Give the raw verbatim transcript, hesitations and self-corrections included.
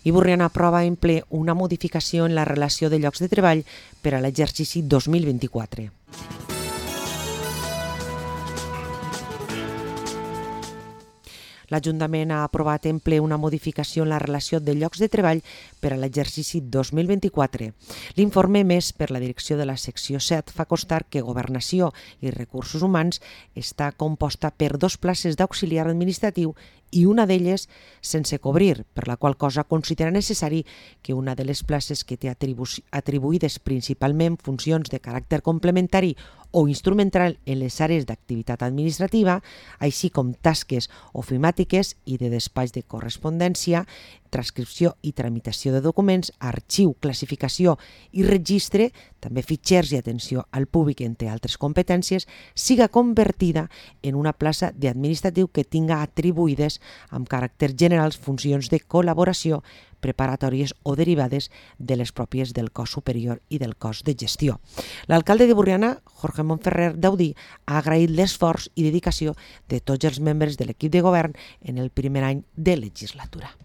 I Borriana aprova en ple una modificació en la relació de llocs de treball per a l'exercici dos mil vint-i-quatre. L'Ajuntament ha aprovat en ple una modificació en la relació de llocs de treball per a l'exercici dos mil vint-i-quatre. L'informe emès per la direcció de la secció set fa constar que Governació i Recursos Humans està composta per dos places d'auxiliar administratiu i una d'elles sense cobrir, per la qual cosa considera necessari que una de les places que té atribu atribuïdes principalment funcions de caràcter complementari o instrumental en les àrees d'activitat administrativa, així com tasques ofimàtiques i de despatx de correspondència, transcripció i tramitació de documents, arxiu, classificació i registre, també fitxers i atenció al públic, entre altres competències, siga convertida en una plaça d'administratiu que tinga atribuïdes amb caràcter general funcions de col·laboració preparatòries o derivades de les pròpies del cos superior i del cos de gestió. L'alcalde de Borriana, Jorge Montferrer Daudí, ha agraït l'esforç i dedicació de tots els membres de l'equip de govern en el primer any de legislatura.